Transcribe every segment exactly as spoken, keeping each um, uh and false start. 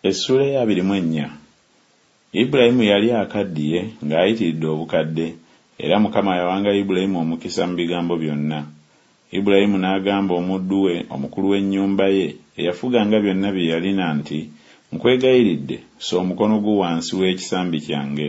Essuula ey'abiri mu ennya. Ibulayimu yali akaddiye ng'ayitiridde obukadde, era Mukama yawanga Ibulayimu omukisa mu bigambo byonna. Ibulayimu n'agamba omuddu we, omukulu w'ennyumba ye, eyafuganga byonna bye yalina nti Nkwegayiridde, ssa omukono gwo wansi w'ekisambi kyange,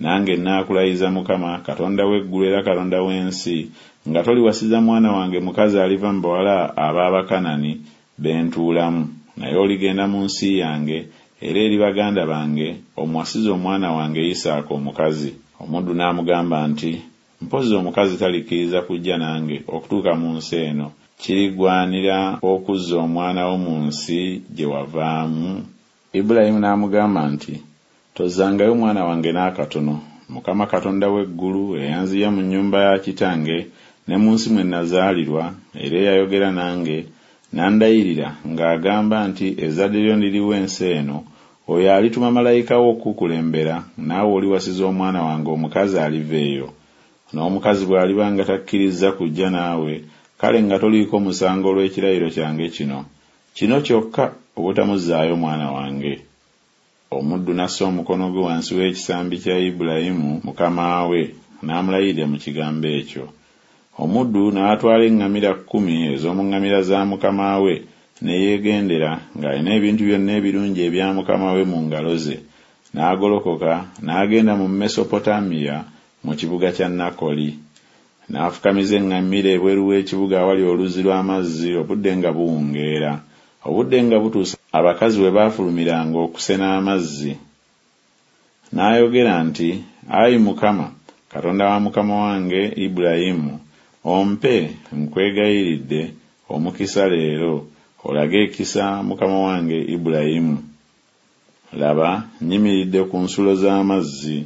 nange nnaakulayiza Mukama, Katonda w'eggulu era Katonda w'ensi, nga toliwasiza mwana wange mukazi aliva mu bawala ab'Abakanani be ntuulamu, naye oligenda mu nsi yange era eri baganda bange, omuwasize omwana wange Isaaka omukazi. Omuddu n'amugamba nti Mpozzi omukazi talikkiriza kujja nange okutuuka mu nsi eno, kirigwanira okuzza omwana wo mu nsi gye wavaamu? Ibulayimu n'amugamba nti Tozzangayo mwana wange n'akatono, Mukama Katonda w'eggulu, eyanziya mu nnyumba ya kitange ne mu nsi mwe nnazaalirwa, era eyayogera nange, n'andayirira ng'agamba nti Ezzadde lyo ndiriwa ensi eno, oyo alituma malayika we okukukulembera, naawe oliwasiza omwana wange omukazi aliva eyo. N'omukazi bw'aliba nga takkirizza kujja naawe, kale nga toliiko musango olw'ekirayiro kyange kino. Kino kyokka, obutamuzzaayo mwana wange. Omuddu n'assa omukono gwe wansi w'ekisambi kya Ibulayimu mukama we, n'amulayirira mu kigambo ekyo. Omuddu n'atwala eŋŋamira kkumi ez'omu ŋŋamira za mukama we, ne yeegendera, ng'alina ebintu byonna ebirungi ebya mukama we mu ngalo ze, n'agolokoka n'agenda mu Mesopotamiya mu kibuga kya Nakoli. N'afukamiza eŋŋamira ebweru w'ekibuga awali oluzzi lw'amazzi obudde nga buwungeera. Obudde nga butuuse abakazi we baafulumiranga okusena amazzi. N'ayogera nti Ayi Mukama, Katonda wa mukama wange Ibulayimu, ompe, nkwegayiridde, omukisa leero, olage ekisa mukama wange Ibulayimu. Laba, nnyimiridde ku nsulo z'amazzi,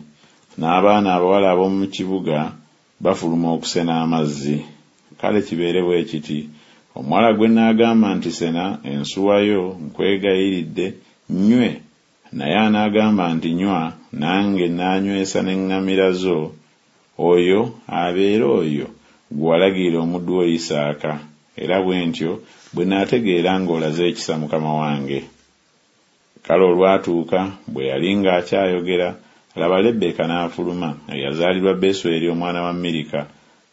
n'abaana abawala ab'omu kibuga bafuluma okusena amazzi. Kale kibeere bwe kiti, omuwala gwe nnaagamba nti Sena ensuwa yo, nkwegayiridde, nnywe, naye anaagamba nti Nywa, nange nnaanywesa n'eŋŋamira zo, oyo abeere oyo gwe walagirira omuddu wo Isaaka, era bwe ntyo bwe naategeera ng'olaze ekisa mukama wange. Kale olwatuuka, bwe yali ng'akyayogera, laba, Lebbeeka n'afuluma, eyazaalirwa Besweri omwana wa Mirika,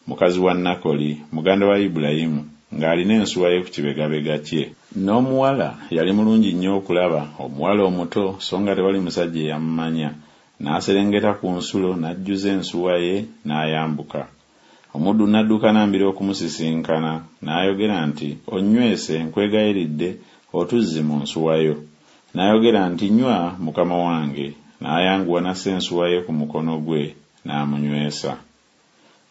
mukazi wa Nakoli, muganda wa Ibulayimu, ng'alina ensuwa ye ku kibegabega kye. N'omuwala yali mulungi nnyo okulaba, omuwala omuto, so nga tewali musajja eyamumanya. N'aserengeta ku nsulo, n'ajjuza ensuwa ye, n'ayambuka. Omuddu n'addukana mbiro okumusisinkana, n'ayogera nti Onnywese, nkwegayiridde, otuzzi mu nsuwa yo. N'ayogera nti Nywa, mukama wange. N'ayanguwa n'assa ensuwa ye ku mukono gwe, n'amunywesa.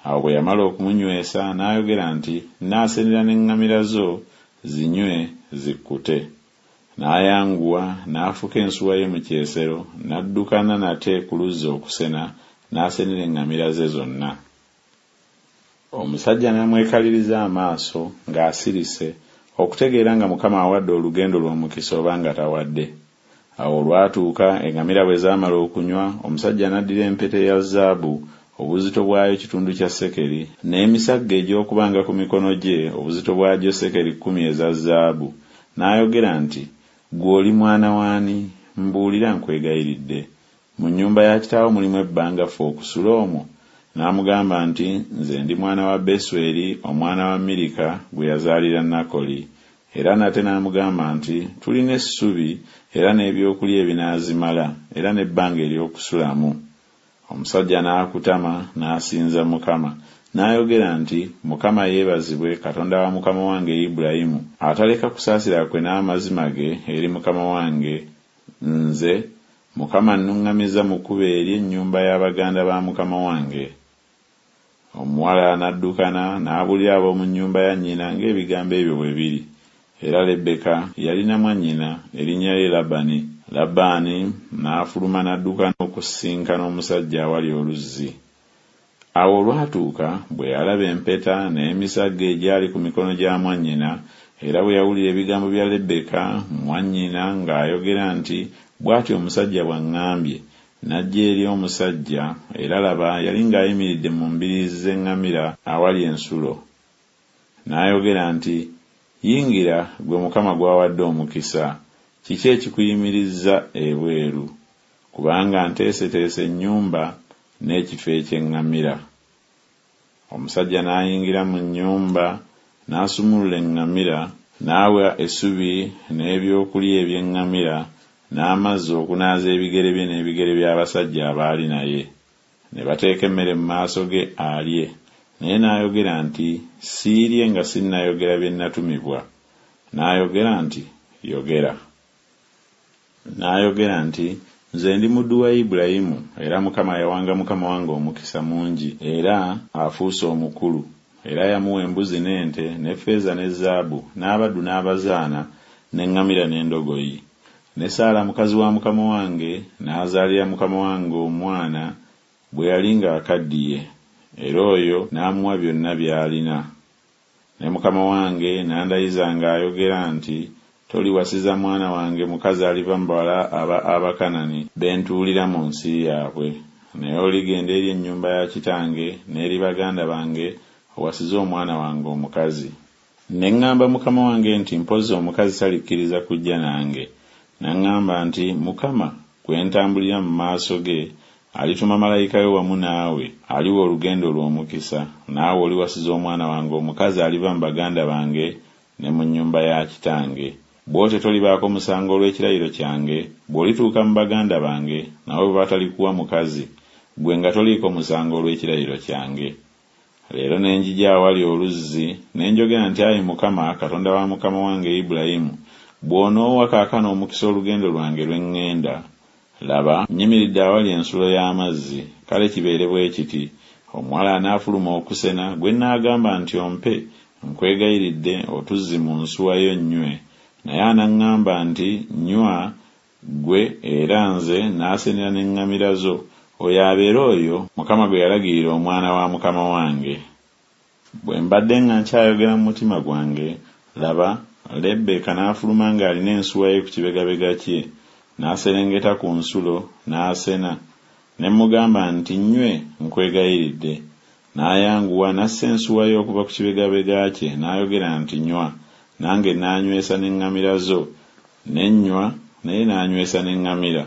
Awo bwe yamala okumunywesa, n'ayogera nti Nnaasenera n'eŋŋamira zo, zinywe, zikkute. N'ayanguwa, n'afuka ensuwa ye mu kyesero, n'addukana nate ku luzzi okusena, n'asenera eŋŋamira ze zonna. Omusajja n'amwekaliriza amaaso, ng'asirise, okutegeera nga Mukama awadde olugendo lwe omukisa oba nga tawadde. Awo olwatuuka, eŋŋamira bwe zaamala okunywa, omusajja n'addira empeta eya zaabu, obuzito bwayo kitundu kya sekeri, n'emisagga egy'okubanga ku mikono gye, obuzito bwagyo sekeri kkumi eza zaabu, n'ayogera nti Ggwe oli mwana w'ani? Mbuulira, nkwegayiridde. Mu nnyumba ya kitaawo mulimu ebbanga ffe okusula omwo? N'amugamba nti Nze ndi mwana wa Besweri omwana wa Mirika gwe yazaalira Nakoli. Era nate n'amugamba nti Tulina essubi era n'ebyokulya ebinaazimala, era n'ebbanga ery'okusulamu. Omusajja n'akutama, n'asinza Mukama. N'ayogera nti Mukama yeebazibwe, Katonda wa mukama wange Ibulayimu, ataleka kusaasira kwe n'amazima ge eri mukama wange nze, Mukama annuŋŋamizza mu kkubo eri ennyumba ya baganda ba mukama wange. Omuwala n'addukana n'abuulira ab'omu nnyumba ya nnyina ng'ebigambo ebyo bwe biri. Era Lebbeeka yalina mwannyina, erinnya lye Labani. Labbaani n'afuluma n'addukana okusisinkana omusajja awali oluzzi. Awo olwatuuka, bwe yalaba empeta n'emisagga egyali ku mikono gya mwannyina, era bwe yawulira ebigambo bya Lebbeeka mwannyina ng'ayogera nti Bw'atyo omusajja bw'aŋŋambye, n'ajja eri omusajja, era laba, yali ng'ayimiridde mu mbiriizi z'eŋŋamira awali ensulo. N'ayogera nti Yingira, ggwe Mukama gw'awadde omukisa, Kiki ekikuyimirizza ebweru? Kubanga nteeseteese ennyumba n'ekifo eky'eŋŋamira. Omusajja n'ayingira mu nnyumba, n'asumulula eŋŋamira, n'awa essubi n'ebyokulya eby'eŋŋamira, n'amazzi okunaaza ebigere bye n'ebigere by'abasajja abaali naye. Ne bateeka emmere mu maaso ge alye, naye n'ayogera nti Siirye nga sinnayogera bye natumibwa. N'ayogera nti Yogera. N'ayogera nti Nze ndi muddu wa Ibulayimu, era Mukama yawanga mukama wange omukisa mungi, era afuuse omukulu, era yamuwa embuzi n'ente, n'effeeza ne zaabu, n'abaddu n'abazaana, n'eŋŋamira n'endogoyi. Ne Saala mukazi wa mukama wange n'azaalira mukama wange omwana bwe yali ng'akaddiye, era oyo n'amuwa byonna by'alina. Ne mukama wange n'andayiza ng'ayogera nti Toliwasiza mwana wange mukazi aliva mu bawala aba Abakanani be ntuulira mu nsi yaabwe, naye oligenda eri ennyumba ya kitange n'eri baganda bange owasize omwana wange omukazi. Ne ŋŋamba mukama wange nti Mpozzi omukazi talikkiriza kujja nange. N'aŋŋamba nti Mukama, gwe ntambulira mu maaso ge, alituma malayika we wamu naawe, aliwa olugendo lwo omukisa, naawe oliwasiza omwana wange omukazi aliva mu baganda bange ne mu nnyumba ya kitange. Bw'otyo tolibaako musango olw'ekirayiro kyange, bw'olituuka mu baganda bange, nabo bwe batalikuwa mukazi, ggwe nga toliiko musango olw'ekirayiro kyange. Leero ne njija awali oluzzi, ne njogera nti Ayi Mukama, Katonda wa mukama wange Ibulayimu, bw'onoowa kaakano omukisa olugendo lwange lwe ŋŋenda, laba, nnyimiridde awali ensulo y'amazzi, kale kibeere bwe kiti, omuwala anaafuluma okusena, gwe nnaagamba nti Ompe, nkwegayiridde, otuzzi mu nsuwa yo nnywe, naye anaŋŋamba nti Nnywa ggwe, era nze naasenera n'eŋŋamira zo, oyo abeere oyo Mukama gwe yalagirira omwana wa mukama wange. Bwe mbadde nga nkyayogera mu mutima gwange, laba, Lebbeeka n'afuluma ng'alina ensuwa ye ku kibegabega kye, n'aserengeta ku nsulo, n'asena. Ne mmugamba nti Nnywe, nkwegayiridde. N'ayanguwa n'assa ensuwa ye okuva ku kibegabega kye, n'ayogera nti Nywa, nange naanywesa n'eŋŋamira zo. Ne nnywa, naye n'anywesa n'eŋŋamira.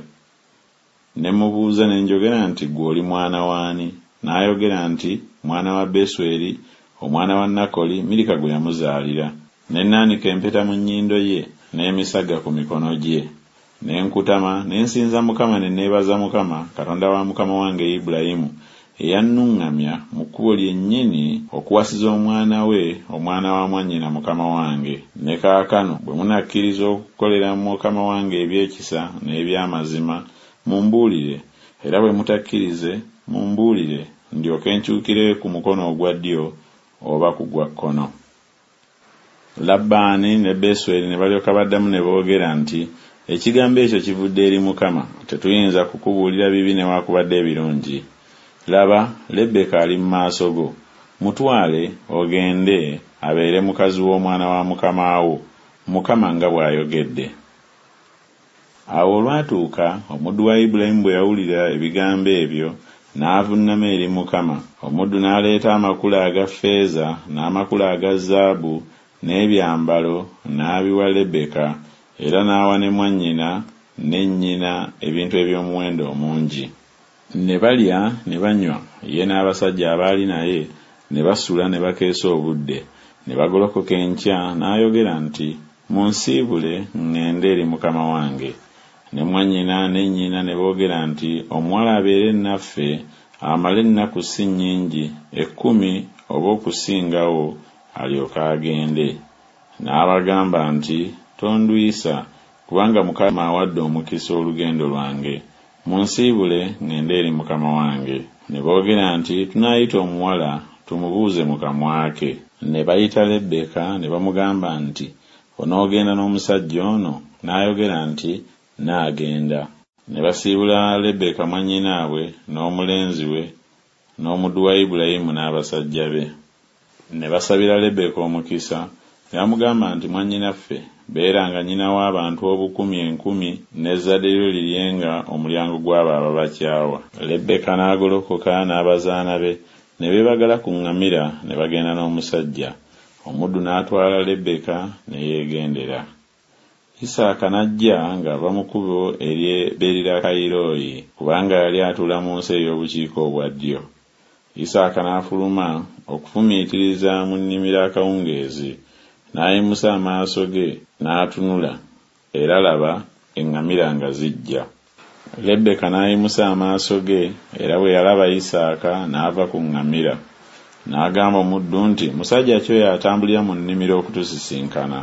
Ne mmubuuza ne njogera nti Ggwe oli mwana w'ani? N'ayogera nti Mwana wa Besweri, omwana wa Nakoli, Mirika gwe yamuzaalira. Ne nnaanika empeta mu nnyindo ye, n'emisagga ku mikono gye. Ne nkutama, ne nsinza Mukama ne neebaza Mukama, Katonda wa mukama wange Ibulayimu, eyannuŋŋamya mu kkubo lyennyini okuwasiza omwana we omwana wa mwannyina mukama wange. Ne kaakano bwe munakkiriza okukolera mukama wange eby'ekisa n'eby'amazima, mumbuulire, era bwe mutakkirize, mumbuulire, ndyoke nkyukire ku mukono ogwa ddyo oba ku gwa kkono. Labbaani ne Besweri ne balyoka baddamu ne boogera nti Ekigambo ekyo kivudde eri Mukama, tetuyinza kukubuulira bibi newakubadde ebirungi. Laba, Lebbeeka ali mu maaso go, mutwale, ogende, abeere mukazi w'omwana wa mukama wo, Mukama nga bw'ayogedde. Awo olwatuuka omuddu wa Ibulayimu bwe yawulira ebigambo ebyo, n'avunnama eri Mukama. Omuddu n'aleeta amakula aga ffeeza n'amakula aga zaabu n'ebyambalo, n'abiwa Lebbeeka, era n'awa ne mwannyina ne nnyina ebintu eby'omuwendo omungi. Ne balya ne banywa, ye n'abasajja abaali naye, ne basula ne bakeesa obudde. Ne bagolokoka enkya, n'ayogera nti Munsiibule ŋŋende eri mukama wange. Ne mwannyina ne nnyina ne boogera nti Omuwala abeere naffe amale ennaku si nnyingi, ekkumi oba okusingawo, alyoke agende. N'abagamba nti Tondwisa, kubanga Mukama awadde omukisa olugendo lwange, munsiibule ŋŋende eri mukama wange. Ne boogera nti Tunaayita omuwala, tumubuuze mu kamwa ke. Ne bayita Lebbeeka ne bamugamba nti Onoogenda n'omusajja ono? N'ayogera nti Nnaagenda. Ne basiibula Lebbeeka mwannyinaabwe n'omulenzi we n'omuddu wa Ibulayimu n'abasajja be. Ne basabira Lebbeeka omukisa, ne bamugamba nti Mwannyinaffe, beeranga nnyina w'abantu obukumi enkumi, n'ezzadde lyo liryenga omulyango gw'abo ababakyawa. Lebbeeka n'agolokoka n'abazaana be, ne beebagala ku ŋŋamira ne bagenda n'omusajja. Omuddu n'atwala Lebbeeka ne yeegendera. Isaaka n'ajja ng'ava mu kkubo ery'e Beerirakayiroyi, kubanga yali atuula mu nsi ey'obukiika obwa ddyo. Isaaka n'afuluma okufumiitiriza mu nnimiro akawungeezi, n'ayimusa amaaso ge n'atunula, era laba, eŋŋamira nga zijja. Lebbeeka n'ayimusa amaaso ge, era bwe yalaba Isaaka n'ava ku ŋŋamira. N'agamba omuddu nti Musajja ki oyo atambulira mu nnimiro okutusisinkana?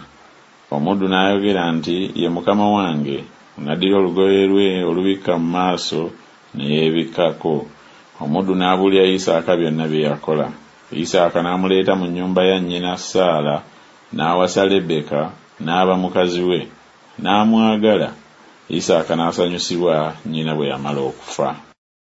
Omuddu n'ayogera nti Ye mukama wange. N'addira olugoye lwe olubikka mu maaso ne yeebikkako. Omuddu n'abuulira Isaaka byonna bye yakola. Isaaka n'amuleeta mu nnyumba ya nnyina Saala, n'awasa Lebbeeka, n'aba mukazi we. N'amwagala, Isaaka n'asanyusibwa nnyina bwe yamala okufa.